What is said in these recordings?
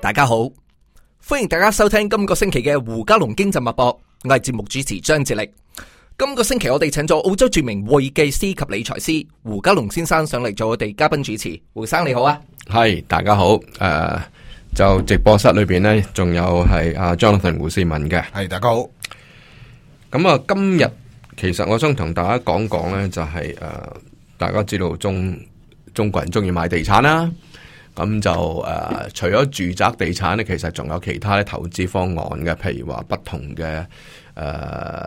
大家好，歡迎大家收聽今個星期嘅胡嘉龍經濟脈搏，我係節目主持張智力。今個星期我哋請咗澳洲著名會計師及理財師胡嘉龍先生上嚟做我哋嘉賓主持。胡生你好啊。係，大家好。就直播室裏邊呢，仲有係阿 Jonathan 胡思文嘅。係，大家好。咁啊，今日其實我想同大家講講呢，就係大家知道中國人中意買地產啦。咁就除咗住宅地產咧，其實仲有其他咧投資方案嘅，譬如話不同嘅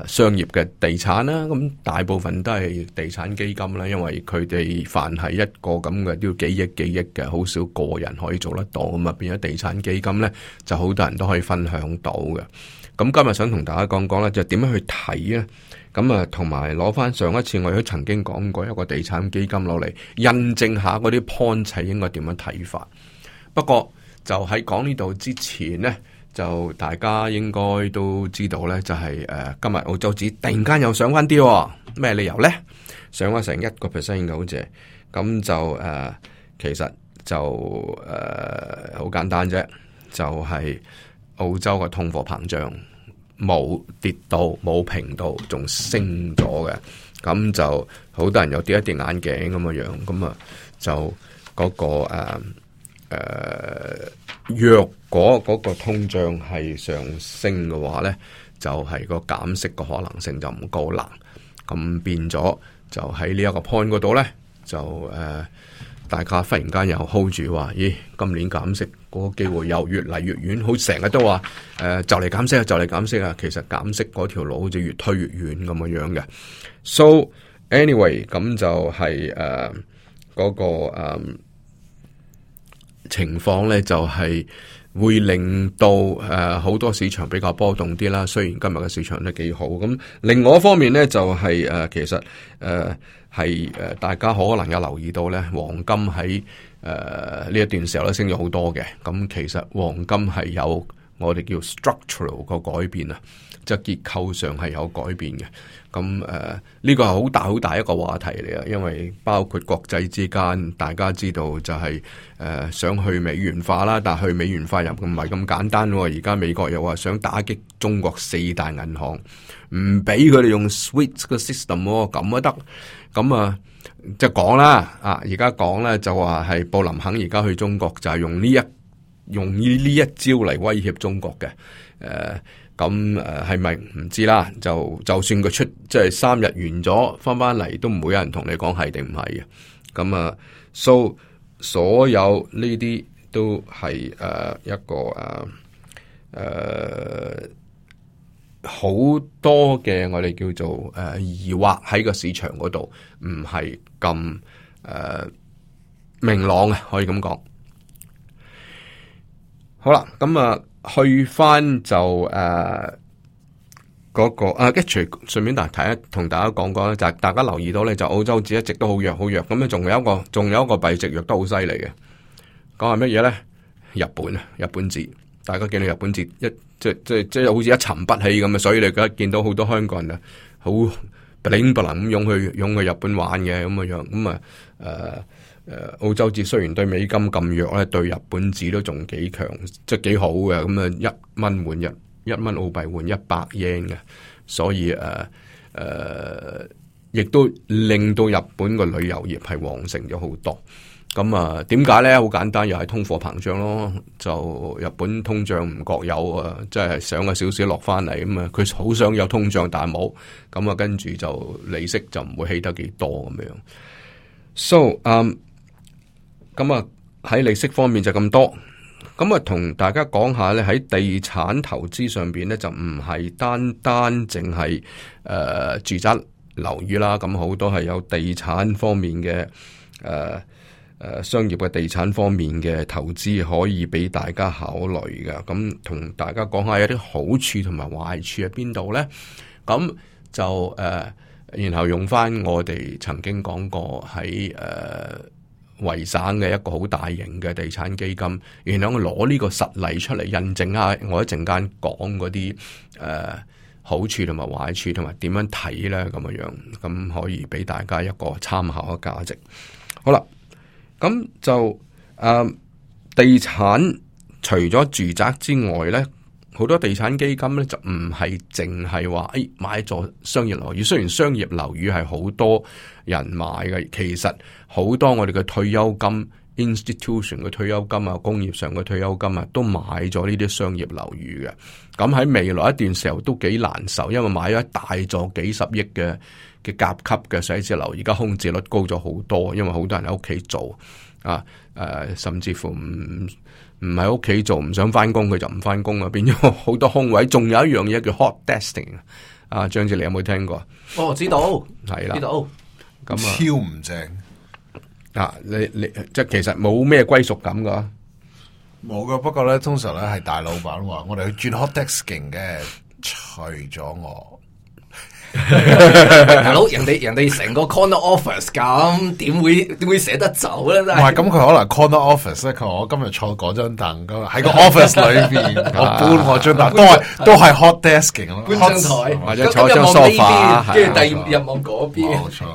商業嘅地產啦。咁大部分都係地產基金啦，因為佢哋凡係一個咁嘅都要幾億嘅，好少個人可以做得到。咁啊，變咗地產基金咧，就好多人都可以分享到嘅。咁今日想同大家講講咧，就點樣去睇咧？咁啊，同埋攞翻上一次我都曾經講過一個地產基金攞嚟印證下嗰啲 point 應該點樣睇法。不過就喺講呢度之前呢，就大家應該都知道呢，就係今日澳洲紙突然間又上翻啲，咩理由呢？上咗成1%嘅好似，咁就其實就好簡單啫，就係澳洲嘅通貨膨脹冇跌到冇平到，仲升咗嘅，咁就好多人又跌一跌眼鏡咁嘅樣，咁啊就嗰個若果嗰個通脹係上升嘅話呢，就係個減息嘅可能性就唔高啦。咁變咗就喺呢一個 point 嗰度呢，就大家忽然間又 hold 住話，咦，今年減息嗰個機會又越嚟越遠，好成日都話就嚟減息啊，就嚟減息啊。其實減息嗰條路好似越推越遠咁嘅樣嘅。So anyway， 咁就係嗰個情況咧，就係會令到好多市場比較波動啲啦。雖然今日嘅市場都幾好，咁另外一方面咧就係其實係大家可能有留意到咧，黃金喺呢一段時候咧升咗好多嘅。咁其實黃金係有我哋叫 structural 個改變啊，即係結構上係有改變嘅。咁呢個係好大一個話題嚟啊，因為包括國際之間，大家知道就係想去美元化啦，但係去美元化又唔係咁簡單喎。而家美國又話想打擊中國4大銀行，唔俾佢哋用 SWIFT 個 system 喎，咁都得。咁啊，即係講啦，而家講咧就話係布林肯而家去中國就係用呢一招嚟威脅中國嘅。咁係咪唔知啦？就算佢出即係3日完咗，翻嚟都唔會有人同你講係定唔係嘅。咁啊，所有呢啲都係一個好多嘅我哋叫做疑惑喺個市場嗰度，唔係咁明朗啊，可以咁講。好啦，咁啊。去翻就嗰個跟住順便同大家講講咧，就係大家留意到咧，就澳洲紙一直都好弱，咁咧仲有一個幣值弱得好犀利嘅，講係乜嘢咧？日本紙，大家見到日本紙即好似一沉不起咁啊，所以你而家見到好多香港人啊，好不靈不能咁湧去日本玩嘅咁嘅樣，咁啊澳洲紙雖然對美金咁弱咧，對日本紙都仲幾強，即係幾好嘅。咁啊1蚊澳幣換100 yen 嘅，所以亦都令到日本個旅遊業係旺盛咗好多。咁啊，點解咧？好簡單，又係通貨膨脹咯。就日本通脹唔覺有啊，即係上咗少少落翻嚟咁啊。佢好想有通脹，但係冇。咁啊，跟住就利息就唔會起得幾多咁樣。So 咁啊喺利息方面就咁多。咁啊同大家講下咧，喺地產投資上邊咧，就唔係單淨係住宅樓宇啦。咁好多係有地產方面嘅商業嘅地產方面嘅投資可以俾大家考慮噶。咁同大家講下有啲好處同埋壞處喺邊度咧？咁就然後用翻我哋曾經講過喺維省嘅一個好大型嘅地產基金，然後我攞呢個實例出嚟印證下我一陣間講嗰啲好處同埋壞處同埋點樣睇咧咁樣，咁可以俾大家一個參考嘅價值。好啦，咁就地產除咗住宅之外咧，好多地產基金咧就唔係淨係話買一座商業樓宇。雖然商業樓宇係好多人買嘅，其實好多我哋嘅退休金 institution 嘅退休金啊，工業上嘅退休金啊，都買咗呢啲商業樓宇嘅。咁喺未來一段時候都幾難受，因為買咗一大座幾十億嘅甲級嘅寫字樓，而家空置率高咗好多，因為好多人喺屋企做啊，甚至乎唔喺屋企做，唔想翻工佢就唔翻工啊，變咗好多空位。仲有一樣嘢叫 hot desking 啊，張志你有冇聽過？哦，知道，係啦，知道。咁超唔正啊！你即係其實冇咩歸屬感噶，冇噶。不過咧，通常咧係大老闆話我哋去轉 hot desking 嘅，除咗我。大佬，人哋成個 corner office 咁，點會捨得走咧？唔係咁，佢可能 corner office 咧。佢話我今日坐嗰張凳噶，喺個 office 裏邊，我搬我張凳，都係 hot desking 咯，搬張台或者坐張 sofa，跟住第二日望嗰邊。冇錯。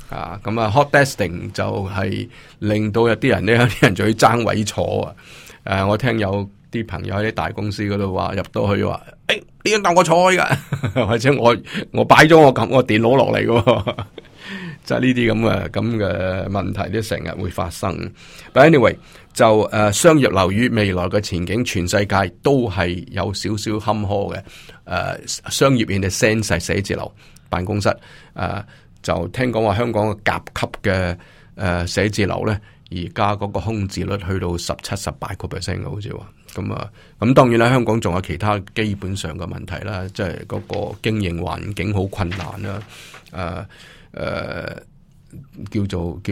啊，咁啊 hot desking 就係令到有啲人咧，有啲人就要爭位坐啊！我聽有啲朋友喺啲大公司嗰度話入到去話，呢張凳我坐開噶，或者我擺咗我電腦落嚟嘅，即係呢啲咁嘅問題都成日會發生。But anyway， 就商業樓宇未來嘅前景，全世界都係有少少坎坷嘅。商業 in the sense 係寫字樓、辦公室，就聽講話香港嘅甲級嘅寫字樓咧，而家嗰個空置率去到17-18%嘅，好似話咁當然啦，香港仲有其他基本上嘅問題啦，即係嗰個經營環境好困難啦，叫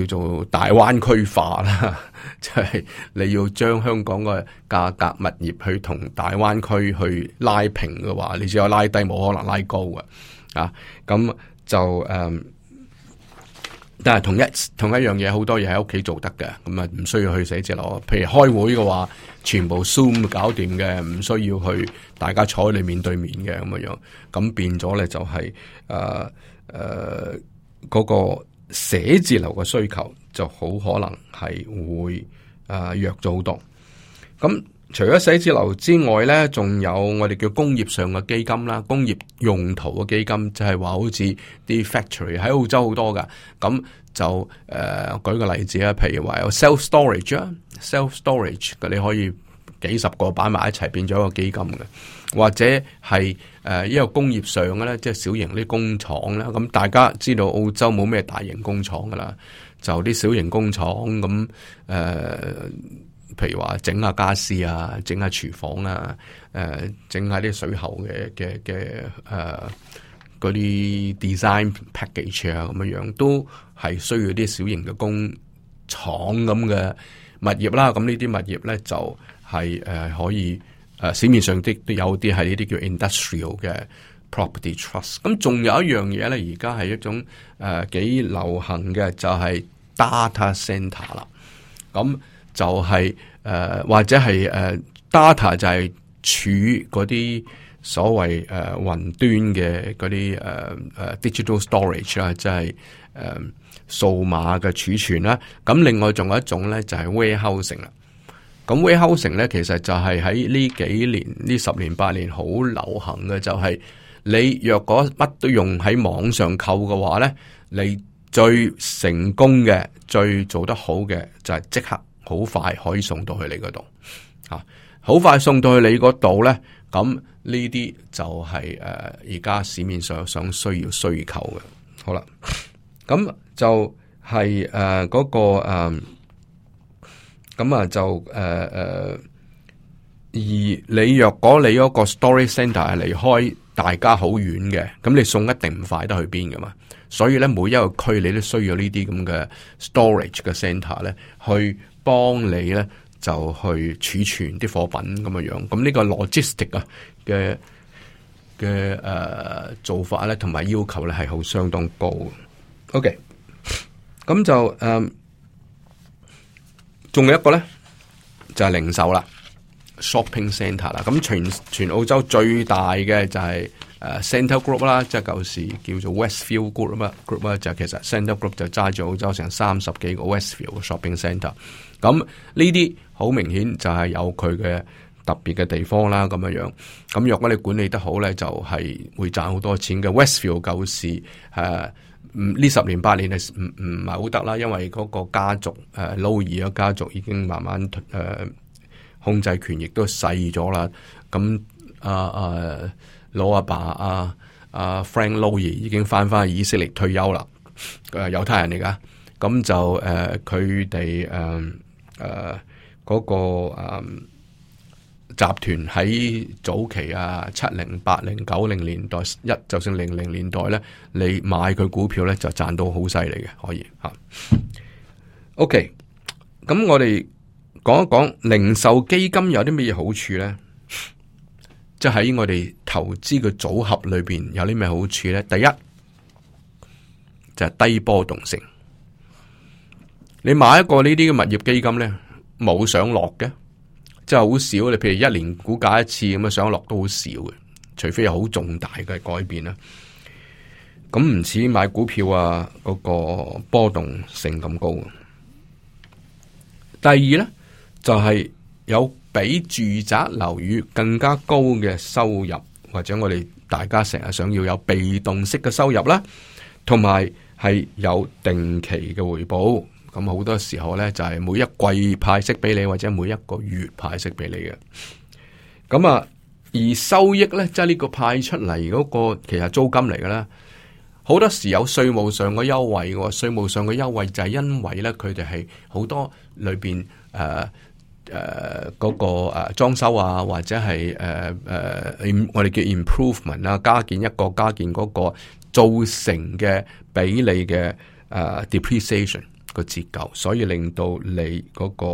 做大灣區化啦，即係你要將香港嘅價格物業去同大灣區去拉平嘅話，你只有拉低，冇可能拉高嘅咁就但係同一樣嘢，好多嘢喺屋企做得嘅，咁啊唔需要去寫字樓。譬如開會嘅話，全部 Zoom 搞掂嘅，唔需要去大家坐喺你面對面嘅咁樣。咁變咗咧就係嗰個寫字樓嘅需求就好可能係會弱咗好多。咁除咗寫字樓之外咧，仲有我哋叫工業上嘅基金啦，工業用途嘅基金，就係話好似啲 factory 喺澳洲好多噶，咁就舉個例子啊，譬如話有 self storage 啊 ，self storage 嘅你可以幾十個擺埋一齊變咗一個基金嘅，或者係一個工業上嘅咧，即係小型啲工廠啦。咁大家知道澳洲冇咩大型工廠噶啦，就啲小型工廠咁譬如話整下家私啊，整下廚房啊，整下啲水喉嘅嗰啲 design package 啊，咁樣都係需要啲小型嘅工廠咁嘅物業啦。咁呢啲物業咧就係可以市面上都有啲係呢啲叫 industrial 嘅 property trust。咁仲有一樣嘢咧，而家係一種幾流行嘅，就係 data center 啦。咁就係或者係data 就係儲嗰啲所謂雲端嘅嗰啲digital storage 啦，即係數碼嘅儲存啦。咁另外仲有一種咧就係 warehousing 啦。咁 warehousing 咧其實就係喺呢幾年呢10年8年好流行嘅，就係你若果乜都用喺網上購嘅話咧，你最成功嘅、最做得好嘅就係即刻好快可以送到去你嗰度，好快送到去你嗰度咧，咁呢啲就係而家市面上需要需求嘅。好啦，咁就係嗰個咁啊就而你若果你嗰個 storage center 係離開大家好遠嘅，咁你送一定唔快得去邊噶嘛。所以咧，每一個區你都需要呢啲咁嘅 storage 嘅 center 咧，去幫你咧就去儲存啲貨品咁嘅樣。咁呢個 logistic 啊嘅做法咧，同埋要求咧係好相當高嘅。OK， 咁就仲有一個咧就係零售啦 ，shopping center 啦。咁全澳洲最大嘅就係 Center Group 啦，即係舊時叫做 Westfield Group 啦，就其實 Center Group 就揸住澳洲成30幾個 Westfield 嘅 shopping centre。咁呢啲好明顯就係有佢嘅特別嘅地方啦，咁樣。咁若果你管理得好咧，就係會賺好多錢嘅。Westfield 舊時呢10年8年係唔係好得啦，因為嗰個家族勞爾嘅家族已經慢慢控制權亦都細咗啦。咁老阿爸Frank Lowy 已經翻去以色列退休啦，猶太人嚟噶。咁就佢哋嗰個集團喺早期70、80、90年代就算00年代咧，你買佢股票咧就賺到好犀利嘅，可以吓。OK， 咁我哋講一講零售基金有啲乜嘢好處咧？即係喺我哋投資嘅組合裏邊有啲咩好處咧？第一就係低波動性。你買一個呢啲嘅物業基金咧，冇上落嘅。即係好少，你譬如1年股價一次咁樣上落都好少嘅，除非有好重大嘅改變啦。咁唔似買股票嗰個波動性咁高。第二咧就係有比住宅樓宇更加高嘅收入，或者我哋大家成日想要有被動式嘅收入啦，同埋係有定期嘅回報。咁好多時候咧，就係每一季派息俾你，或者每一個月派息俾你嘅。咁而收益咧，即係呢個派出嚟嗰個，其實租金嚟嘅啦。好多時有稅務上嘅優惠嘅，稅務上嘅優惠就係因為咧，佢哋係好多裏邊嗰個裝修或者係我哋叫 improvement 加建一個加建嗰個造成嘅比例嘅depreciation。個折舊，所以令到你嗰個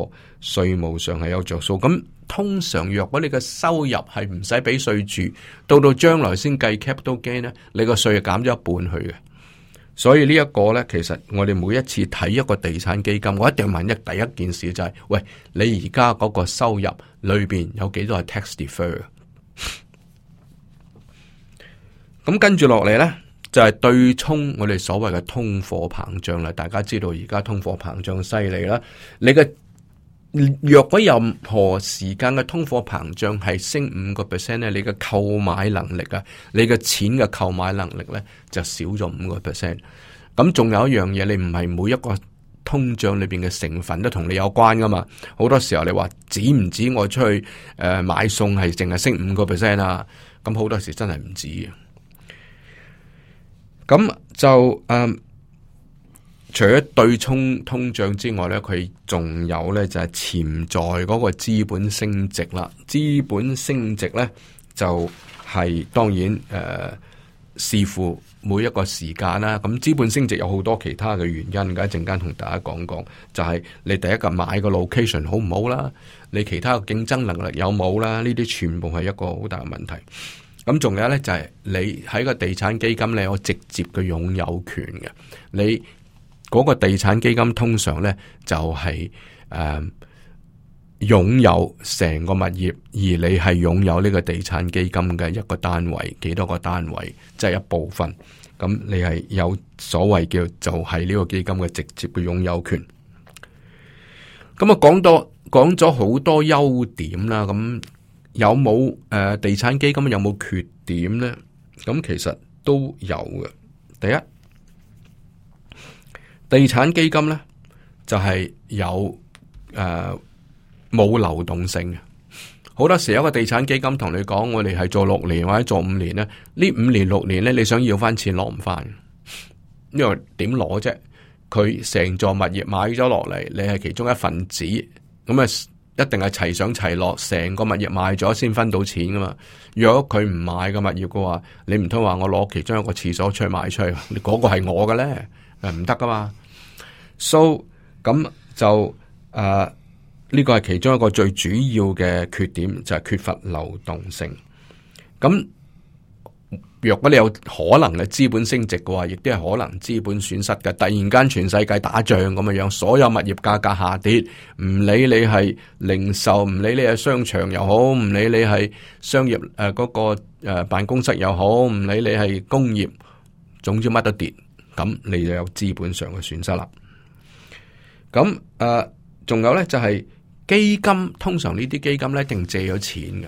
稅務上係有着數。咁通常若果你嘅收入係唔使俾稅住，到將來先計 capital gain 咧，你個稅係減咗一半去嘅。所以呢一個咧，其實我哋每一次睇一個地產基金，我一定問第一件事就係，喂，你而家嗰個收入裏邊有幾多係 tax defer？ 咁跟住落嚟咧，就係對沖我哋所謂嘅通貨膨脹啦。大家知道而家通貨膨脹犀利啦。你嘅若果任何時間嘅通貨膨脹係升5% 咧，你嘅購買能力你嘅錢嘅購買能力咧就少咗5%。咁仲有一樣嘢，你唔係每一個通脹裏邊嘅成分都同你有關噶嘛？好多時候你話止唔止我出去買餸係淨係升5% 啊？咁好多時真係唔止嘅。咁就除咗對沖通脹之外咧，佢仲有咧就係潛在嗰個資本升值啦。資本升值咧就係當然視乎每一個時間啦。咁資本升值有好多其他嘅原因，一陣間同大家講講。就係你第一個買個 location 好唔好啦，你其他嘅競爭能力有冇啦，呢啲全部係一個好大嘅問題。咁仲有咧就係你喺個地產基金你有直接嘅擁有權嘅，你嗰個地產基金通常咧就係擁有成個物業，而你係擁有呢個地產基金嘅一個單位，幾多個單位，即係一部分。咁你係有所謂叫就係呢個基金嘅直接嘅擁有權。咁講咗好多優點啦，咁。有冇地產基金有冇缺點呢？咁其實都有嘅。第一，地產基金呢就係有冇流動性嘅。好多時有個地產基金同你講，我哋係做6年或者做5年呢，呢5年6年呢，你想要翻錢攞唔翻，因為點攞啫？佢成座物業買咗落嚟，你係其中一份子，咁一定係齊上齊落，成個物業賣咗先分到錢噶嘛。如果佢唔買個物業嘅話，你唔通話我攞其中一個廁所出去賣出去，嗰個係我嘅咧，唔得噶嘛。So 咁就呢個係其中一個最主要嘅缺點，就係缺乏流動性。咁若果你有可能嘅資本升值嘅話，亦都係可能資本損失嘅。突然間全世界打仗咁嘅樣，所有物業價格下跌，唔理你係零售，唔理你係商場又好，唔理你係商業嗰個辦公室又好，唔理你係工業，總之乜都跌，咁你就有資本上嘅損失啦。咁仲有咧就係基金，通常呢啲基金咧一定借咗錢嘅。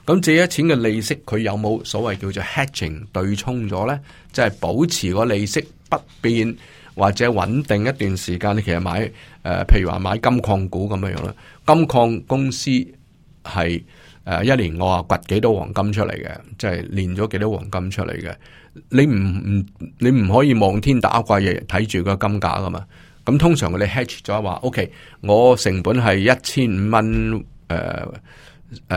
咁借咗錢嘅利息，佢有冇所謂叫做 hedging 對沖咗咧？即係保持個利息不變或者穩定一段時間。你其實買譬如話買金礦股咁樣樣啦，金礦公司係一年我話掘幾多黃金出嚟嘅，即係煉咗幾多黃金出嚟嘅。你唔可以望天打卦日日睇住個金價噶嘛？咁通常我哋 hedge 咗話 ，OK， 我成本係1500蚊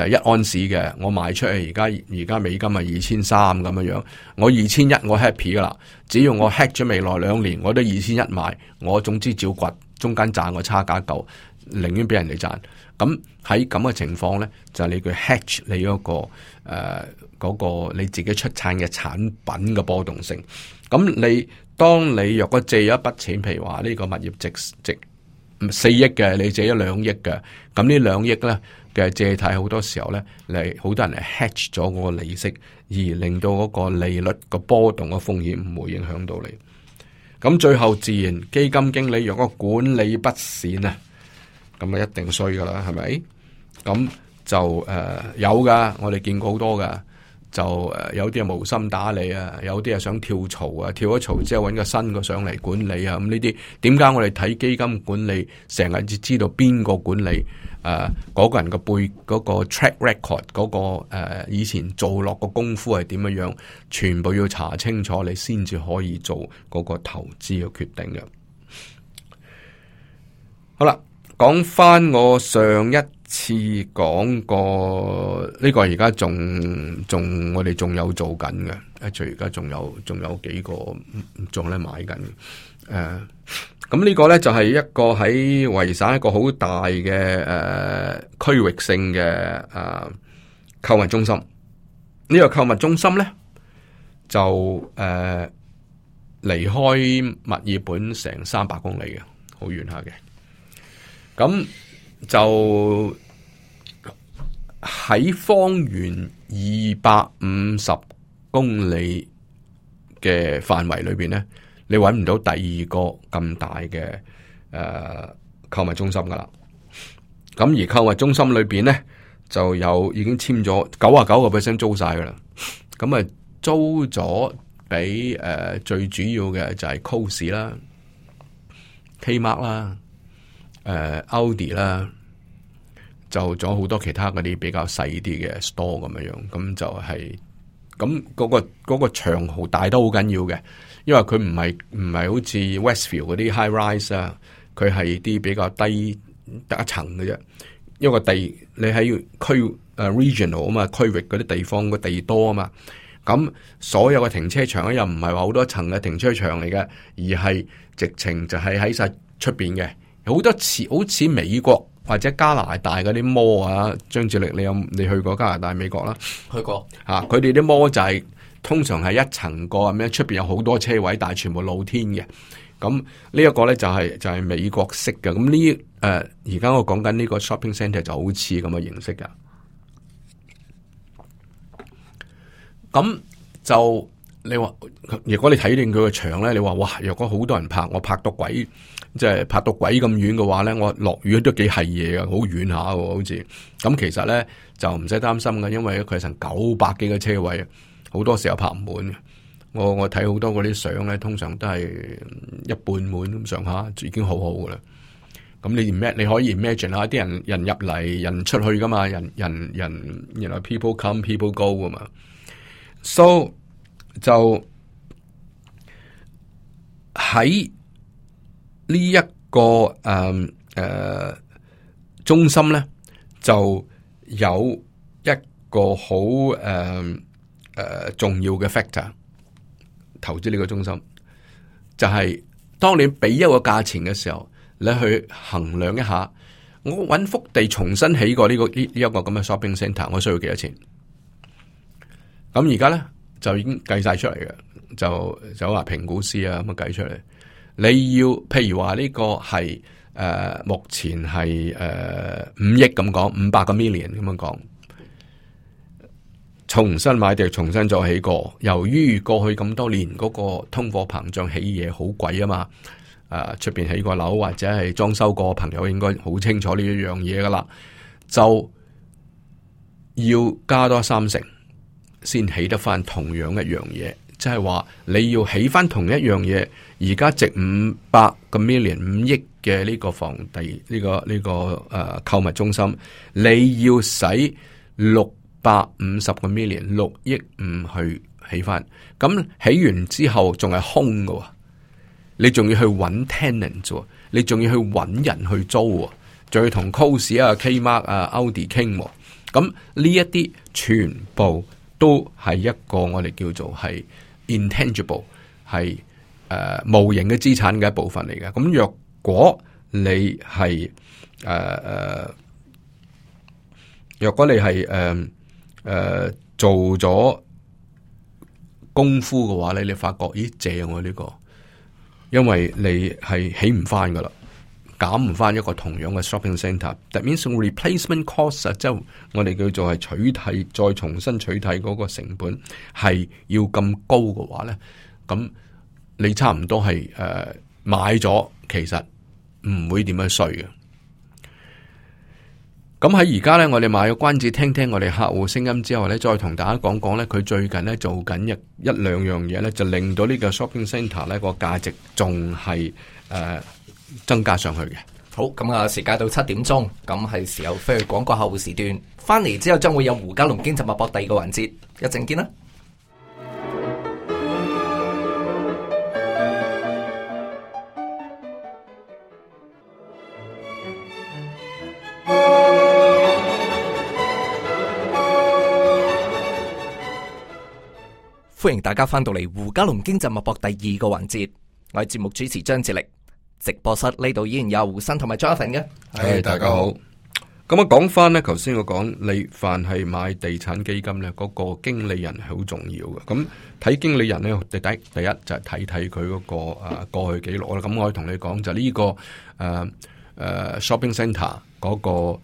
一盎司嘅，我賣出去而家美金係2300咁樣樣，我2100我 happy 噶啦，只要我 hedge 咗未來2年，我都2100賣，我總之照掘，中間賺個差價夠，寧願俾人哋賺。咁喺咁嘅情況咧，就係你佢 hedge 你嗰個你自己出產嘅產品嘅波動性。咁當你若果借咗一筆錢，譬如話呢個物業值4億嘅，你借咗2億嘅，咁呢2億咧嘅借貸好多時候咧，好多人係 hedge 咗嗰個利息，而令到嗰個利率個波動嘅風險唔會影響到你。咁最後自然基金經理若果管理不善啊，咁啊一定衰噶啦，係咪？咁就有噶，我哋見過好多噶。就有啲係無心打理啊，有啲係想跳槽啊，跳咗槽之後揾個新個上嚟管理啊，咁呢啲點解我哋睇基金管理成日只知道邊個管理嗰個人個嗰個 track record 嗰個以前做落個功夫係點樣，全部要查清楚，你先至可以做嗰個投資嘅決定嘅。好啦，講翻我上一次講過呢個，而家仲我哋仲有做緊嘅，而家仲有幾個仲咧買緊。咁呢個咧就係一個喺維省一個好大嘅區域性嘅購物中心。呢個購物中心咧就離開墨爾本成300公里嘅，好遠下嘅。咁就喺方圓250公里嘅範圍裏邊咧，你揾唔到第二個咁大嘅購物中心噶啦。咁而購物中心裏邊咧就已經簽咗99% 租晒噶啦。咁啊租咗俾最主要嘅就係 Coles 啦、Kmart 啦。Audi 啦，就仲有好多其他嗰啲比較細啲嘅 store 咁樣，咁就係咁嗰個長號大都好緊要嘅，因為佢唔係好似 Westfield 嗰啲 high rise 啊，佢係啲比較低得一層嘅啫。因為你喺regional 啊嘛，區域嗰啲地方個地多啊嘛，咁所有嘅停車場咧又唔係話好多層嘅停車場嚟嘅，而係直情就係喺晒出邊嘅。好多好似美國或者加拿大嗰啲摩啊，張志力你去過加拿大、美國啦？去過佢哋啲摩就係通常係一層過咁樣，出邊有好多車位，但係全部露天嘅。咁呢一個咧就係美國式嘅。咁呢而家我講緊呢個 shopping centre 就好似咁嘅形式噶。咁就你話，如果你睇定佢個場咧，你話哇，若果好多人拍，我拍到鬼。即係拍到鬼咁遠嘅話咧，我落雨都幾係嘢噶，好遠下喎，好似咁。其實咧就唔使擔心嘅，因為佢係成900幾個車位，好多時候拍唔滿嘅。我睇好多嗰啲相咧，通常都係一半滿咁上下，已經好好噶啦。咁你可以 imagine 下啲人入嚟，人出去噶嘛，人people come people go 噶嘛。So 就喺呢一個中心咧，就有一個好重要嘅 factor， 投資呢個中心就係當你俾一個價錢嘅時候，你去衡量一下，我搵幅地重新起過呢一個咁嘅 shopping centre， 我需要幾多錢？咁而家咧就已經計晒出嚟嘅，就話評估師啊咁樣計出嚟。你要譬如話呢個係目前係5億咁講，500個 million 咁樣講，重新買地，重新再起過。由於過去咁多年嗰個通貨膨脹起嘢好貴啊嘛，出邊起過樓或者係裝修過，朋友應該好清楚呢一樣嘢噶啦，就要加多30%先起得翻同樣一樣嘢，即係話你要起翻同一樣嘢，而家值500個 million 5億嘅呢個房地呢個購物中心，你要使650個 million 6億5去起翻，咁起完之後仲係空㗎喎，你仲要去揾 tenant 啫，你仲要去揾人去租喎，仲要同 Coles 啊、Kmart 啊、Aldi 傾喎，咁呢一啲全部都係一個我哋叫做係 intangible 係無形嘅資產嘅一部分嚟嘅。咁若果你係做咗功夫嘅話咧，你發覺咦正喎呢個，因為你係起唔翻噶啦，減唔翻一個同樣嘅 shopping centre。That means replacement cost 即係我哋叫做係取替再重新取替嗰個成本係要咁高嘅話咧，咁你差唔多係買咗，其實唔會點樣衰嘅。咁喺而家咧，我哋賣個關子，聽聽我哋客戶聲音之後咧，再同大家講講咧，佢最近咧做緊一兩樣嘢咧，就令到呢個 shopping centre 咧個價值仲係增加上去嘅。好，咁啊，時間到7點鐘，咁係時候飛去廣告客戶時段，翻嚟之後將會有胡嘉龍經濟脈搏第2個環節，一陣見啦。歡迎大家翻到嚟胡嘉龍經濟脈搏第2個環節，我係節目主持張智力，直播室呢度依然有胡生同埋 Jonathan 嘅。係大家好。咁啊，講翻咧，頭先我講你凡係買地產基金咧，嗰個經理人係好重要嘅。咁睇經理人咧，第一就係睇佢嗰個過去記錄啦。咁我可以同你講就呢個shopping centre 嗰個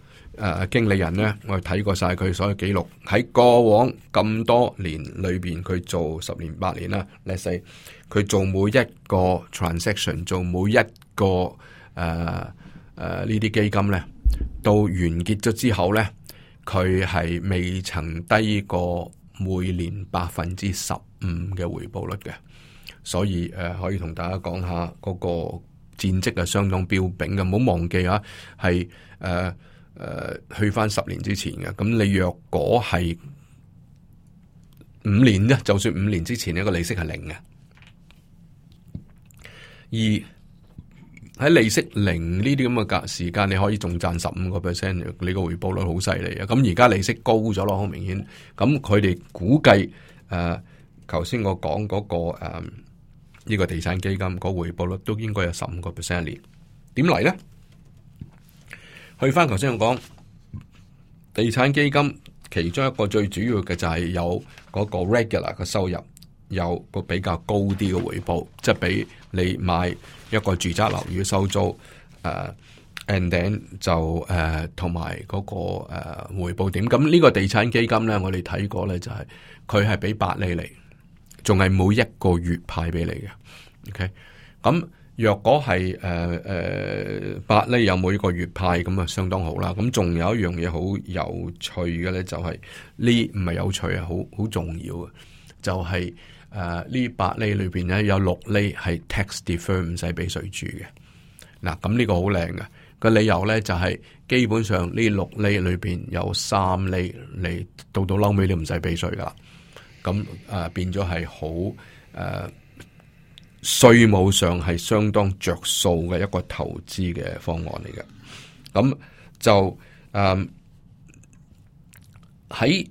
經理人咧，我哋睇過晒佢所有記錄，喺過往咁多年裏邊，佢做10年8年啦。let's say 佢做每一個 transaction， 做每一個呢啲基金咧，到完結咗之後咧，佢係未曾低過每年15%嘅回報率嘅。所以可以同大家講下嗰個戰績係相當彪炳嘅，唔好忘記啊，係去翻10年之前嘅。咁你若果係5年啫，就算5年之前呢個利息係0嘅，而喺利息0呢啲咁嘅時間，你可以仲賺15%，你個回報率好犀利啊！咁而家利息高咗咯，好明顯。咁佢哋估計頭先我講嗰個呢個地產基金個回報率都應該有15%一年。點嚟咧？去翻頭先我講地產基金，其中一個最主要嘅就係有嗰個 regular 嘅收入，有個比較高啲嘅回報，即係比你買一個住宅樓宇收租，and then 就同埋嗰個回報點。咁呢個地產基金咧，我哋睇過咧就係佢係俾8厘嚟，仲係每一個月派俾你嘅。OK， 咁若果係8厘有每個月派，咁啊相當好啦。咁仲有一樣嘢好有趣嘅咧，就係呢唔係有趣啊，好重要嘅，就係呢8厘裏邊咧有6厘係 tax defer 唔使俾稅住嘅。嗱，咁呢個好靚嘅，個理由咧就係基本上呢6厘裏邊有3厘你到嬲尾你唔使俾稅噶啦。咁變咗係好稅務上係相當着數嘅一個投資嘅方案嚟嘅。咁就喺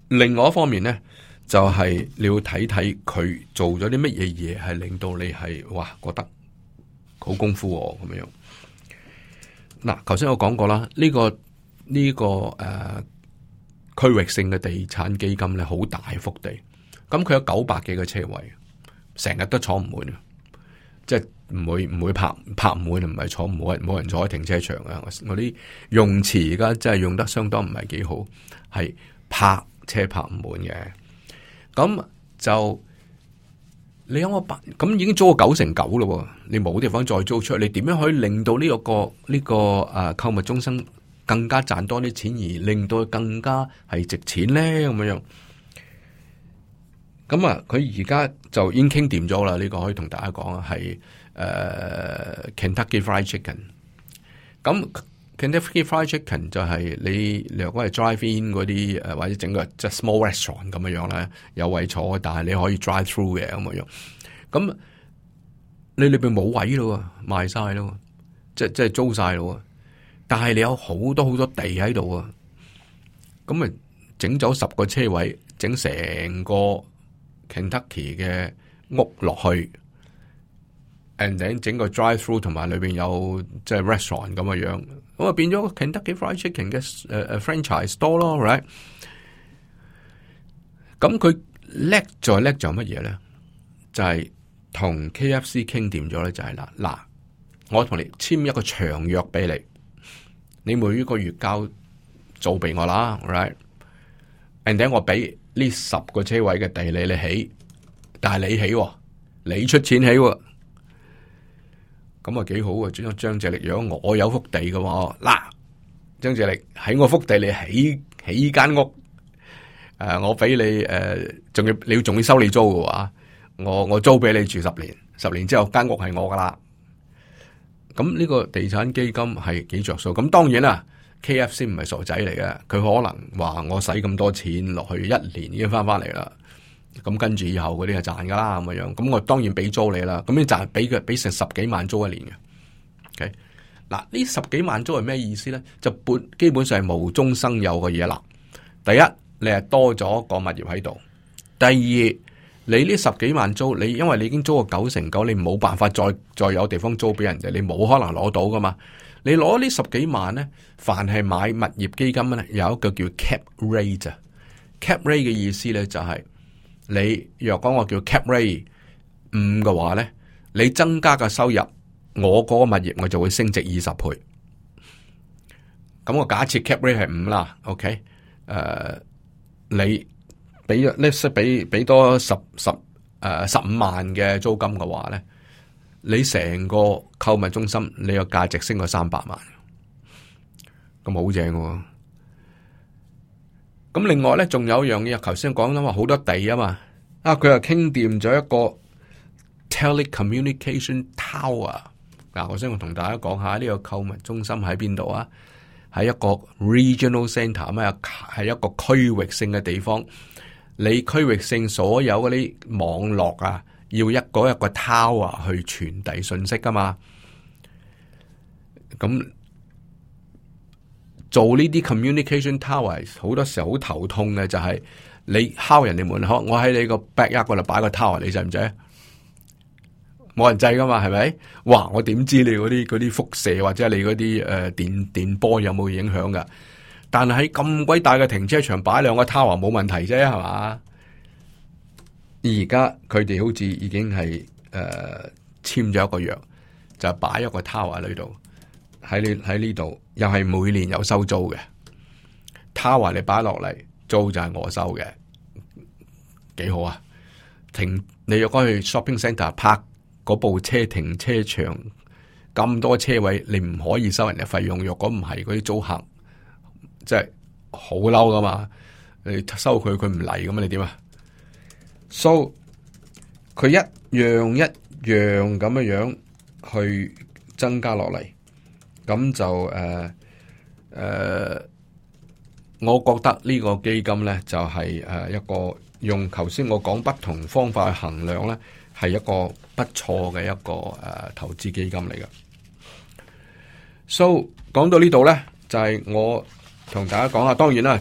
另外一方面咧，就係你要睇睇佢做咗啲乜嘢嘢，係令到你係哇覺得好功夫喎咁樣。嗱，頭先我講過啦，呢個區域性嘅地產基金咧，好大幅地，咁佢有900幾個車位，成日都坐唔滿，即係唔會泊唔滿，唔係坐冇人坐喺停車場啊！我啲用詞而家真係用得相當唔係幾好，係泊車泊唔滿嘅。咁就你有我咁已經租咗9成9咯，你冇地方再租出去，你點樣可以令到呢個購物中心更加賺多啲錢，而令到佢更加係值錢咧？咁樣。咁啊，佢而家就已經傾掂咗啦。呢個可以同大家講啊，係Kentucky Fried Chicken。咁 Kentucky Fried Chicken 就係你若果係 drive in 嗰啲或者整個即係 small restaurant 咁樣咧，有位坐，但係你可以 drive through 嘅咁樣。咁你裏邊冇位咯，賣晒咯，即係租晒咯。但係你有好多好多地喺度啊，咁咪整咗10個車位，整成個 Kentucky 嘅屋落去 ，and then 整個 drive through 同埋裏邊有即係 restaurant 咁嘅樣，咁啊變咗個 Kentucky Fried Chicken 嘅franchise store 咯 ，right？ 咁佢叻在乜嘢咧？就係同 KFC 傾掂咗咧，就係嗱，我同你簽一個長約俾你，你每一個月交租俾我啦 ，right？and then 我俾呢10個車位嘅地你起，但係你起，你出錢起，咁啊幾好啊！張謝力，如果我有幅地嘅話，嗱，張謝力喺我幅地你起間屋，我俾你仲要收你租嘅話，我租俾你住10年，10年之後間屋係我噶啦。咁呢個地產基金係幾着數？咁當然啦。KFC 唔係傻仔嚟嘅，佢可能話我使咁多錢落去1年已經翻嚟啦，咁跟住以後嗰啲就賺噶啦咁樣，咁我當然俾租你啦，咁你賺俾成10幾萬租一年嘅。OK， 嗱呢10幾萬租係咩意思咧？就基本上係無中生有嘅嘢啦。第一，你係多咗個物業喺度；第二，你呢10幾萬租，因為你已經租過9成9，你冇辦法再有地方租俾人哋，你冇可能攞到噶嘛。你攞呢10幾萬咧，凡係買物業基金咧，有一個叫 cap rate 啊。cap rate 嘅意思咧就係你若講我叫 cap rate 5嘅話咧，你增加嘅收入，我嗰個物業我就會升值20倍。咁我假設 cap rate 係5啦 ，OK？ 你俾多15萬嘅租金嘅話咧，你成個購物中心你個價值升過300萬，咁好正喎。咁另外咧，仲有一樣嘢，頭先講啦嘛，好多地啊嘛，佢又傾掂咗一個 telecommunication tower。我想同大家講下呢個購物中心喺邊度啊？喺一個 regional centre 啊，係一個區域性嘅地方。你區域性所有嗰啲網絡啊，要一個 tower 去傳遞信息噶嘛？咁做呢啲 communication tower 好多時候好頭痛嘅，就係你敲人哋門口，我喺你個 backyard 嗰度擺個 tower，你制唔制？冇人制噶嘛，係咪？哇！我點知你嗰啲輻射或者你嗰啲電波有冇影響噶？但係喺咁鬼大嘅停車場擺2個 tower 冇問題啫，係嘛？而家佢哋好似已經係簽咗一個約，就擺一個 tower 喺度，喺呢度又係每年有收租嘅 tower， 你擺落嚟租就係我收嘅，幾好啊！你若果去 shopping centre 泊嗰部車停車場咁多車位，你唔可以收人哋費用。若果唔係嗰啲租客，即係好嬲噶嘛，你收佢唔嚟咁啊？你點啊？So 佢一樣咁樣去增加落嚟，咁就我覺得呢個基金咧就係一個用頭先我講不同方法去衡量咧，係一個不錯嘅一個投資基金嚟嘅。So 講到呢度咧，就係我同大家講下，當然啦，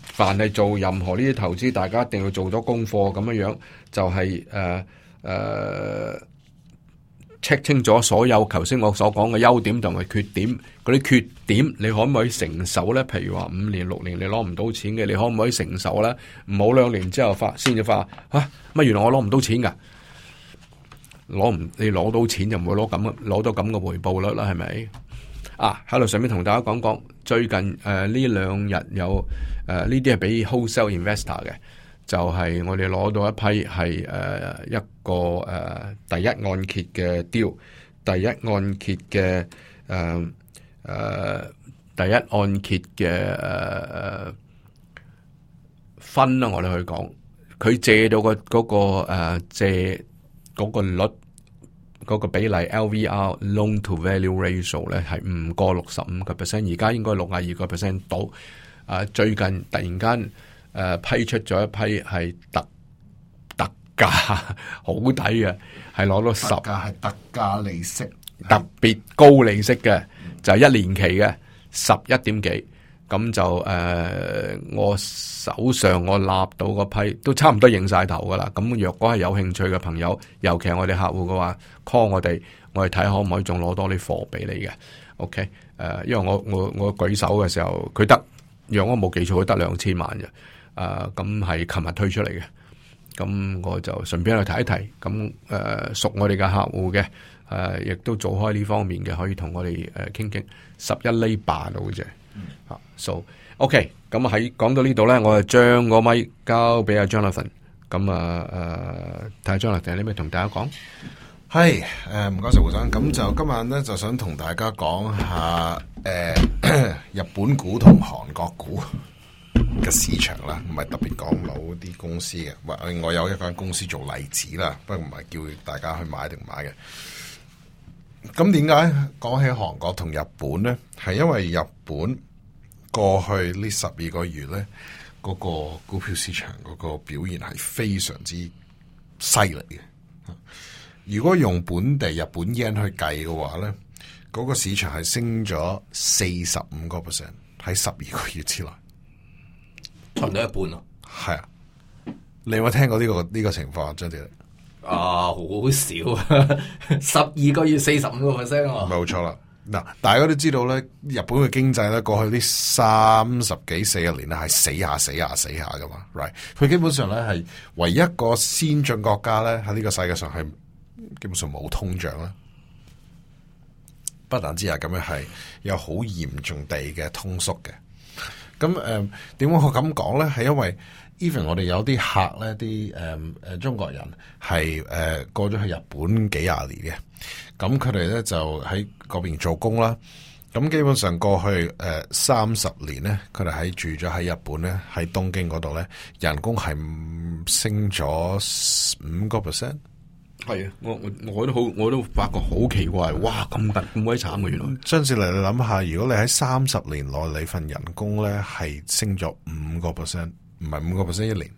凡係做任何呢啲投資，大家一定要做咗功課咁樣樣，就係check 清楚所有頭先我所講嘅優點同埋缺點，嗰啲缺點你可唔可以承受咧？譬如話5年6年你攞唔到錢嘅，你可唔可以承受咧？唔好2年之後先至發乜原來我攞唔到錢噶？你攞到錢就唔會攞到咁嘅回報率啦，係咪？喺度順便同大家講，最近呢兩日有呢啲係俾 wholesale investor 嘅，就係我哋攞到一批係一個第一按揭嘅 deal， 第一按揭嘅第一按揭嘅分啦，我哋去講，佢借到借嗰個率嗰個比例 LVR loan to value ratio 咧係唔過65%，而家應該62% 到。最近突然間批出咗一批係特價好抵嘅，係攞到特價係特價利息，特別高利息嘅，就係1年期嘅11點幾。咁就我手上我立到嗰批都差唔多認晒頭噶啦。咁若果係有興趣嘅朋友，尤其係我哋客戶嘅話 ，call 我哋睇下可唔可以仲攞多啲貨俾你嘅。OK，因為我舉手嘅時候，佢得，若我冇記錯，佢得2000萬嘅。咁係琴日推出嚟嘅。咁我就順便去提一提。咁熟我哋嘅客戶嘅，亦都做開呢方面嘅，可以同我哋傾傾11厘8到啫。So OK， 咁喺講到呢度咧，我就將個咪交俾阿 Jonathan。咁睇下 Jonathan 有啲咩同大家講。係唔該晒胡生。咁就今晚咧就想同大家講下日本股同韓國股嘅市場啦，唔係特別講某啲公司嘅。我有一間公司做例子啦，不過唔係叫大家去買定買嘅。咁點解講起韓國同日本咧？係因為日本過去呢12個月咧，嗰個股票市場嗰個表現係非常之犀利嘅。如果用本地日本 yen 去計嘅話咧，嗰個市場係升咗45%，喺12個月之內，差唔多一半咯。係啊，你有冇聽過呢個情況？張志力？好少12個月45%啊！冇錯啦。嗱，大家都知道咧，日本嘅經濟咧，過去呢30幾40年咧係死下噶嘛 ，right？ 佢基本上咧係唯一一個先進國家咧喺呢個世界上係基本上冇通脹啦。不但之係咁樣，係有好嚴重地嘅通縮嘅。咁點解我咁講咧？係因為 even 我哋有啲客咧，啲中國人係過咗去日本幾廿年嘅，咁佢哋咧就喺嗰邊做工啦。咁基本上過去30年咧，佢哋喺住咗喺日本咧，喺東京嗰度咧，人工係升咗5%。係啊，我都發覺好奇怪，哇咁鬼慘嘅原來。張志嚟，你諗下，如果你喺30年內你份人工咧係升咗5%，唔係5%一年，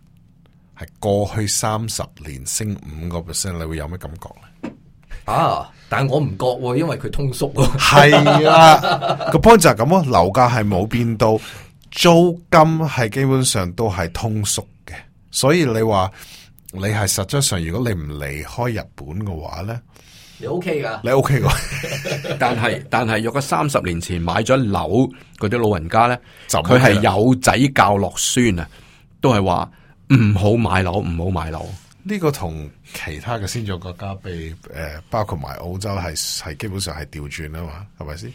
係過去30年升5%，你會有咩感覺咧？但係我唔覺喎，因為佢通縮喎。係啊，個 point 就係咁咯，樓價係冇變到，租金係基本上都係通縮嘅，所以你話你係實質上，如果你唔離開日本嘅話咧，你 OK 噶？你 OK 噶？但係若果30年前買咗樓嗰啲老人家咧，佢係有仔教落孫啊，都係話唔好買樓，唔好買樓。呢個同其他嘅先進國家被包括埋澳洲係基本上係調轉啊嘛，係咪先？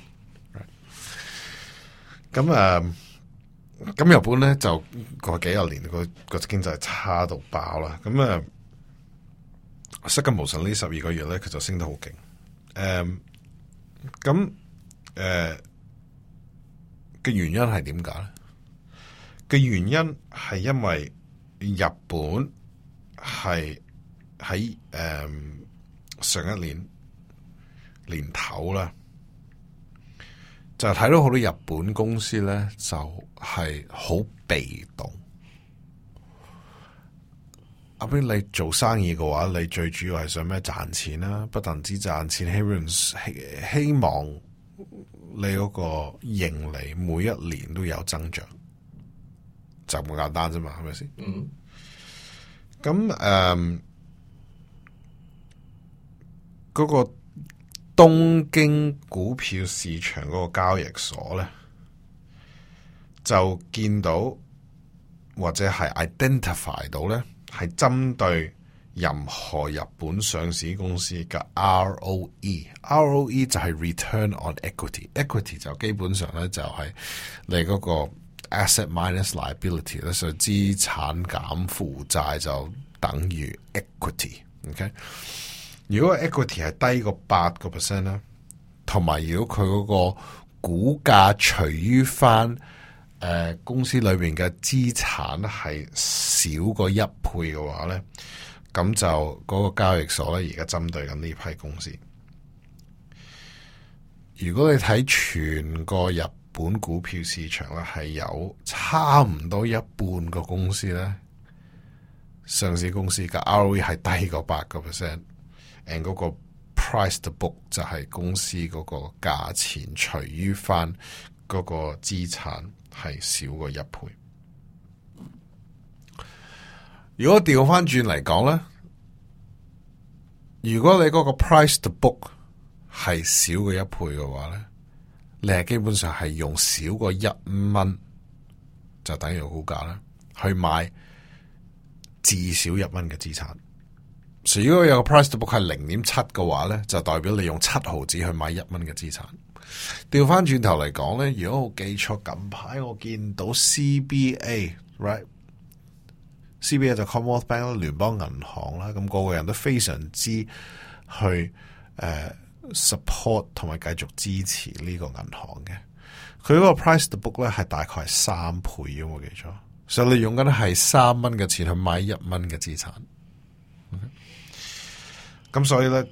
咁日本咧就過幾廿年個經濟差到爆啦。咁失驚無神呢12個月咧，佢就升得好勁。嘅原因係點解咧？嘅原因係因為日本係喺上一年年頭啦，就睇到好多日本公司咧，就係好被動。阿邊你做生意嘅話，你最主要係想咩？賺錢啦，不但止賺錢，希望你嗰個盈利每一年都有增長，就咁簡單啫嘛，係咪先？嗯。咁嗰個東京股票市場嗰個交易所咧，就見到或者係 identify 到咧，係針對任何日本上市公司嘅 ROE 就係 Return on Equity 就基本上咧就係你嗰個 Asset minus liability 咧，所以資產減負債就等於 equity。OK， 如果 equity 係低過8% 咧，同埋如果佢嗰個股價除於翻公司裏邊嘅資產係少過1倍嘅話咧，咁就嗰個交易所咧而家針對緊呢批公司。如果你睇全個日本股票市場咧，係有差唔多一半個公司咧，上市公司嘅 ROE 係低過8%，and 嗰個 price to book 就係公司嗰個價錢除於翻嗰個資產係少過1倍。如果調翻轉嚟講咧，如果你嗰個 price to book 係少過1倍嘅話咧，你係基本上係用少過1蚊就等於股價啦，去買至少1蚊嘅資產。所以如果有個 price to book 係0.7嘅話咧，就代表你用7毫子去買1蚊嘅資產。調翻轉頭嚟講咧，如果我記錯，近排我見到 CBA 就 Commonwealth Bank 聯邦銀行啦，咁個個人都非常之去support 同埋繼續支持呢個銀行嘅。佢嗰個 price to book 咧係大概係3倍，如果冇記錯，所以你用緊係3蚊嘅錢去買1蚊嘅資產。咁所以咧，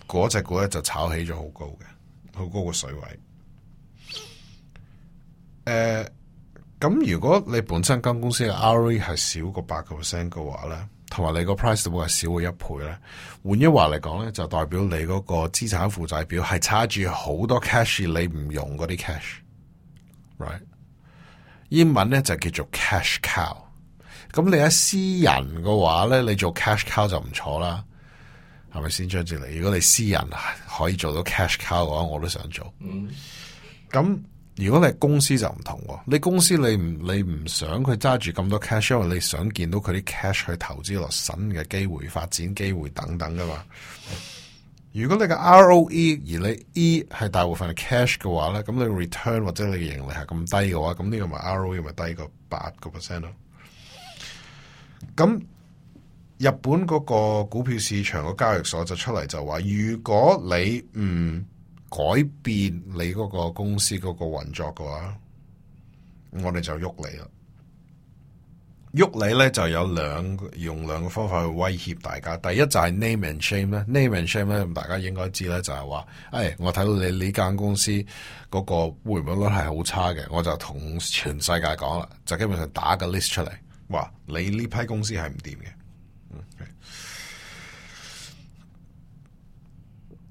嗰隻股咧就炒起咗好高嘅，好高個水位。咁如果你本身間公司嘅 ROE 係少過8% 嘅話咧，同埋你個 price to book 係少過1倍咧，換一話嚟講咧，就代表你嗰個資產負債表係差住好多 cash， 你唔用嗰啲 cash，right？ 英文咧就叫做 cash cow。咁你喺私人嘅話咧，你做 cash cow 就唔錯啦，係咪先張志利？如果你私人可以做到 cash cow 嘅話，我都想做。咁如果你係公司就唔同喎，你公司你唔想佢揸住咁多 cash， 因為你想見到佢啲 cash 去投資落新嘅機會、發展機會等等噶嘛。如果你嘅 ROE 而你 E 係大部分係 cash 嘅話咧，咁你 return 或者你嘅盈利係咁低嘅話，咁呢個咪 ROE 咪低過8% 咯。咁日本嗰個股票市場個交易所就出嚟就話，如果你唔改變你嗰個公司嗰個運作嘅話，我哋就喐你啦。喐你咧就有用兩個方法去威脅大家。第一就係 name and shame 咧 ，name and shame 咧，咁大家應該知咧，就係話，我睇到你呢間公司嗰個回報率係好差嘅，我就同全世界講啦，就基本上打個 list 出嚟，話你呢批公司係唔掂嘅。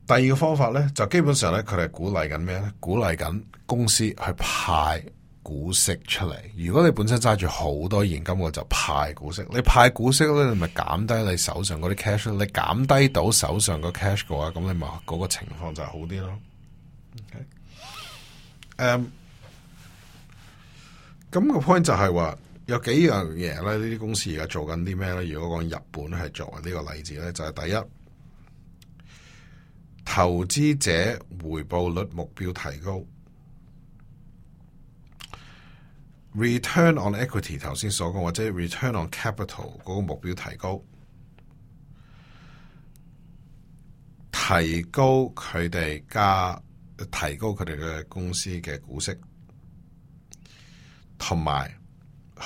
第二個方法咧，就基本上咧，佢哋鼓勵緊咩咧？鼓勵緊公司去派股息出嚟。如果你本身揸住好多現金，我就派股息。你派股息咧，你咪減低你手上嗰啲 cash。你減低到手上個 cash 嘅話，咁你咪嗰個情況就係好啲咯。咁個 point 就係話有幾樣嘢咧，呢啲公司而家做緊啲咩咧？如果講日本係作為呢個例子咧，就係第一，投資者回報率目標提高 ，return on equity 頭先所講或者 return on capital 嗰個目標提高，提高佢哋嘅公司嘅股息，同埋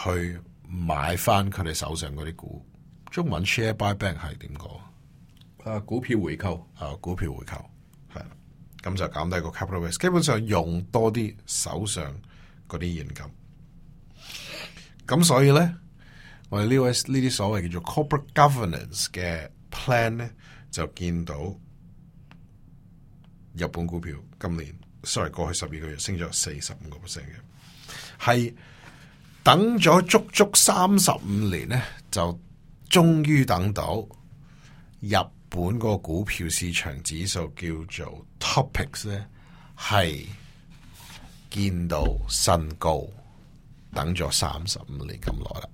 去買翻佢哋手上嗰啲股。中文 share buyback 係點講？股票回購，股票回購係，咁就減低個 capital risk， 基本上用多啲手上嗰啲現金。咁所以咧，我哋呢啲所謂叫做 corporate governance 嘅 plan 咧，就見到日本股票今年過去12個月升咗45%嘅，係等咗足足35年咧，就終於等到日本個股票市場指數叫做 Topics 咧，係見到新高，等咗35年咁耐啦。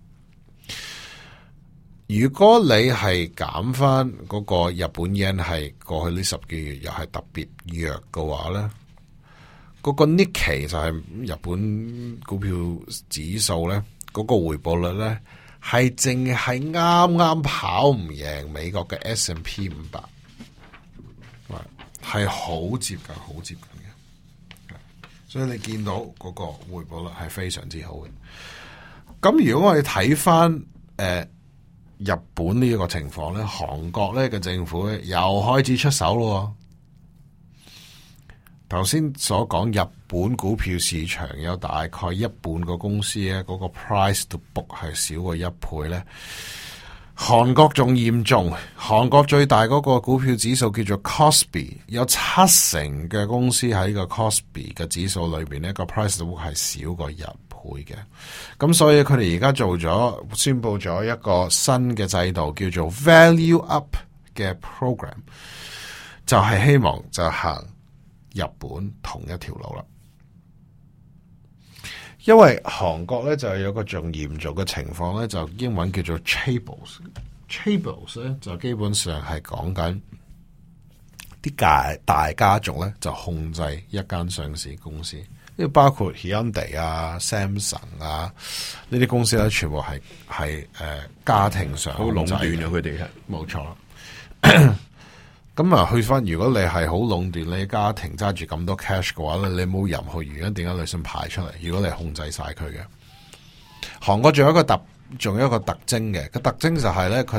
如果你係減翻嗰個日本 yen 係過去呢10幾月又係特別弱嘅話咧，嗰個 Nikkei 就係日本股票指數咧，嗰個回報率咧係淨係啱跑唔贏美國嘅 S&P 500，係好接近，好接近嘅。所以你見到嗰個回報率係非常之好嘅。咁如果我哋睇翻日本呢一個情況咧，韓國咧嘅政府咧又開始出手咯。頭先所講日本股票市場有大概一半個公司咧，嗰個 price to book 係少過1倍咧。韓國仲嚴重，韓國最大嗰個股票指數叫做 Kospi， 有70%嘅公司喺個 Kospi 嘅指數裏邊呢個 price to book 係少過1倍嘅。咁所以佢哋而家宣布咗一個新嘅制度，叫做 Value Up 嘅 program， 就係希望就行日本同一條路啦。因為韓國咧就有個仲嚴重嘅情況咧，就英文叫做 chaebols 咧，就基本上係講緊啲大家族咧就控制一間上市公司，呢包括 Hyundai 啊、Samsung 啊呢啲公司咧，全部係家庭上好壟斷咗佢哋係冇錯啦。咁啊，去翻如果你係好壟斷你家庭揸住咁多 cash 嘅話咧，你冇任何原因點解你想排出嚟？如果你控制晒佢嘅，韓國仲有一個特徵嘅，個特徵就係咧，佢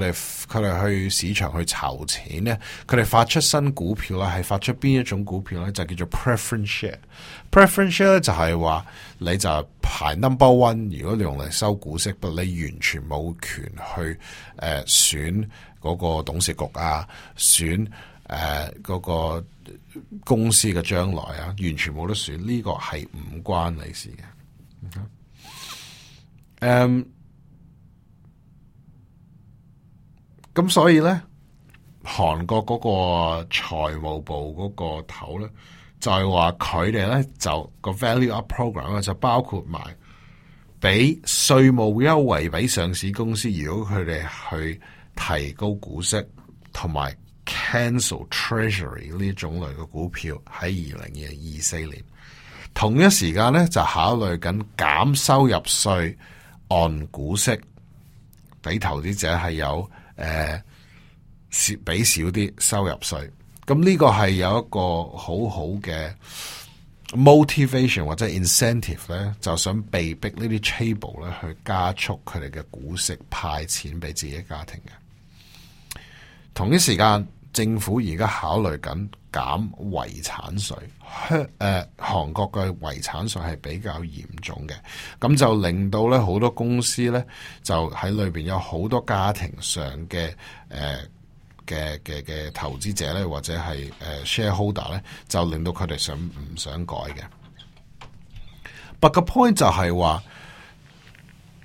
哋去市場去籌錢咧，佢哋發出新股票啦，係發出邊一種股票咧？就叫做 preference share。preference share 咧就係話你就排 number one， 如果你用嚟收股息，不過你完全冇權去選嗰個董事局啊，選嗰個公司嘅將來啊，完全冇得選，呢個係唔關你事嘅。咁所以咧，韓國嗰個財務部嗰個頭咧，就係話佢哋咧就個 Value Up Program 咧就包括埋俾稅務優惠俾上市公司，如果佢哋去提高股息同埋 cancel treasury 呢種類嘅股票喺2024年，同一時間咧就考慮緊減收入稅按股息，俾投資者係有俾少啲收入稅。咁呢個係有一個好好嘅 motivation 或者 incentive 咧，就想被逼呢啲 chaebol 咧去加速佢哋嘅股息派錢俾自己家庭嘅。同一時間，政府而家考慮緊減遺產稅，韓國嘅遺產稅係比較嚴重嘅，咁就令到咧好多公司咧就喺裏邊有好多家庭上嘅嘅投資者咧，或者係shareholder 咧，就令到佢哋唔想改嘅。But the point 就係話，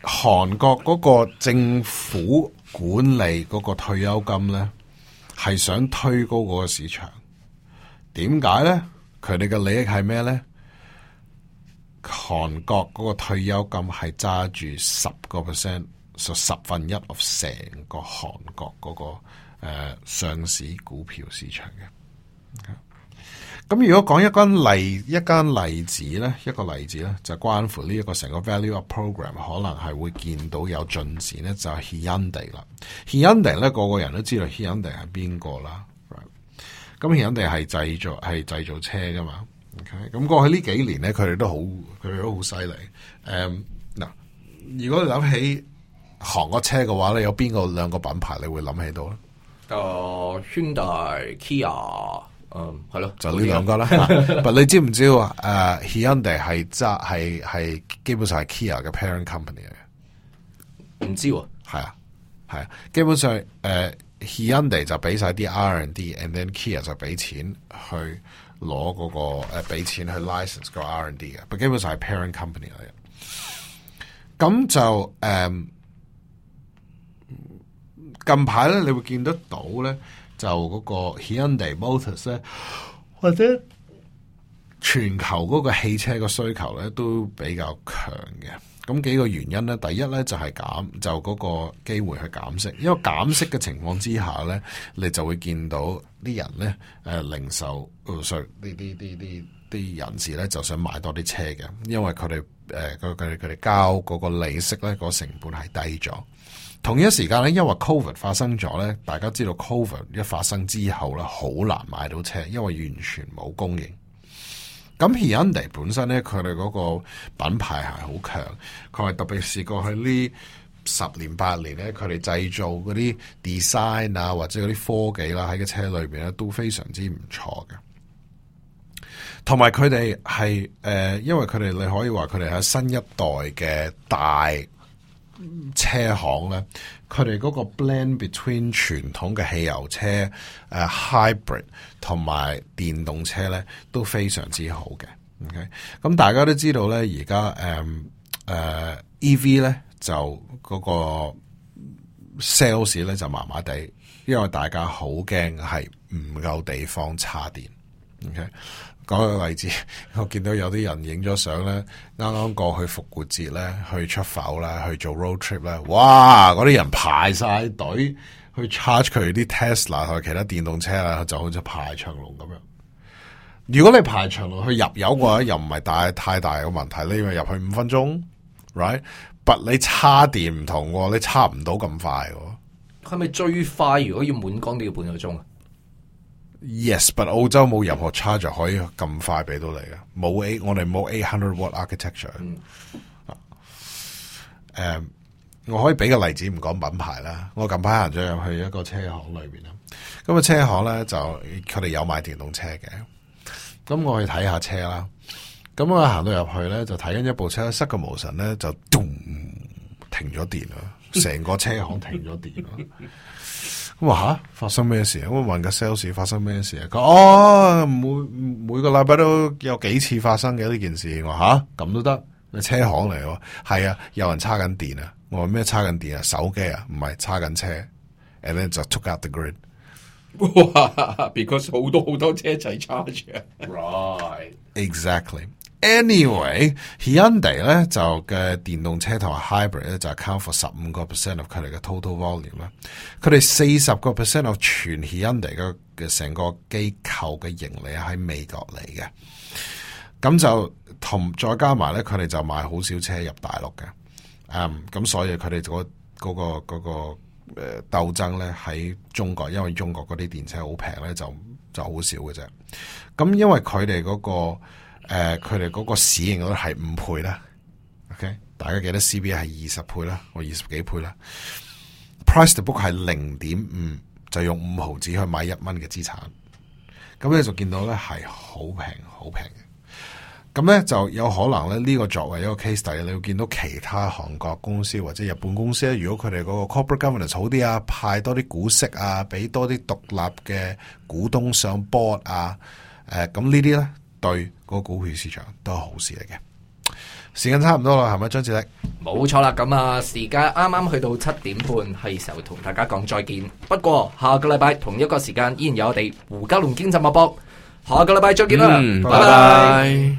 韓國嗰個政府管理嗰個退休金咧，係想推高嗰個市場。點解咧？佢哋嘅利益係咩咧？韓國嗰個退休金係揸住10%，就1/10 of 成個韓國嗰個上市股票市場嘅。咁如果講一間例子咧，就關乎呢一個成個 Value Up Program 可能係會見到有進展咧，就係 Hyundai 啦。Hyundai 咧，個個人都知道 Hyundai 係邊個啦。咁 Hyundai 係製造車噶嘛。OK， 咁過去呢幾年咧，佢哋都好犀利。嗱，如果你諗起韓國車嘅話咧，有邊個兩個品牌你會諗起到咧？Hyundai、Kia，係咯，就呢兩個啦。但你知唔知Hyundai 係基本上係 Kia 嘅 parent company 嚟嘅？唔知喎。係啊，基本上Hyundai 就俾晒啲 R&D，and then Kia 就俾錢去攞嗰個俾錢去 license 個 R&D 嘅，但基本上係 parent company 嚟嘅。咁就近排咧，你會見得到咧，就嗰個 Hyundai Motors 咧，或者全球嗰個汽車個需求咧都比較強嘅。咁幾個原因咧，第一咧就係就嗰個機會去減息，因為減息嘅情況之下咧，你就會見到啲人咧零售啲人士咧就想買多啲車嘅，因為佢哋交嗰個利息咧個成本係低咗。同一時間咧，因為 Covid 發生咗咧，大家知道 Covid 一發生之後咧，好難買到車，因為完全冇供應。咁 Hyundai 本身咧，佢哋嗰個品牌係好強，佢係特別試過去呢10年8年咧，佢哋製造嗰啲 design 啊，或者嗰啲科技啦，喺個車裏邊咧都非常之唔錯嘅。同埋佢哋係因為佢哋你可以話佢哋係新一代嘅大車行咧，佢哋嗰個 blend between 傳統嘅汽油車、hybrid 同埋電動車咧都非常之好嘅。OK， 咁大家都知道咧，而家EV 咧就嗰個 sales 咧就麻麻地，因為大家好驚係唔夠地方插電。OK。講個例子，我見到有啲人影咗相咧，啱啱過去復活節咧，去出埠啦，去做 road trip 咧，哇！嗰啲人排晒隊去 charge 佢啲 Tesla 同其他電動車啦，就好似排長龍咁樣。如果你排長龍去入油嘅話，又唔係太大嘅問題，你以為入去5分鐘 ，right？ 但你叉電唔同喎，你叉唔到咁快喎。係咪最快？如果要滿缸都要半個鐘啊？ Yes，but 澳洲冇任何 charger 可以咁快俾到你嘅，我哋冇 800 watt architecture。我可以俾個例子，唔講品牌啦。我近排行咗入去一個車行裏邊啦，咁個車行咧就佢哋有賣電動車嘅，咁我去睇下車啦。咁我行到入去咧，就睇緊一部車，失個無神咧就咚停咗電啦，成個車行停咗電啦。咁話吓發生咩事啊？我問個 sales 發生咩事啊？佢每個禮拜都有幾次發生嘅呢件事。我吓咁都得？你車行嚟喎？係啊，有人叉緊電啊！我話咩叉緊電啊？手機啊？唔係叉緊車 ，and then 就 took out the grid。哇 ！because 好多車一齊 charge 啊 ，right exactly。Anyway，Hyundai 咧就嘅電動車同埋 hybrid 咧就 account for 15% of 佢哋嘅 total volume 啦。佢哋40% of 全 Hyundai 嘅成個機構嘅盈利喺美國嚟嘅。咁就再加埋咧，佢哋就買好少車入大陸嘅。咁所以佢哋嗰個鬥爭咧喺中國，因為中國嗰啲電車好平咧，就好少嘅啫。咁因為佢哋嗰個市盈率係5倍啦。OK， 大家記得 CBA 係20倍啦，我20幾倍啦。Price to book 係0.5，就用5毫子去買1蚊嘅資產。咁你就見到咧係好平嘅。咁咧就有可能咧呢個作為一個 case study，你會見到其他韓國公司或者日本公司咧，如果佢哋嗰個 corporate governance 好啲啊，派多啲股息啊，俾多啲獨立嘅股東上 board 啊，咁呢啲咧對嗰個股票市場都係好事嚟嘅。時間差唔多啦，係咪張志力？冇錯啦，咁啊時間啱啱去到7點半，係時候同大家講再見。不過下個禮拜同一個時間依然有我哋胡嘉龍經濟脈搏，下個禮拜再見啦，拜拜。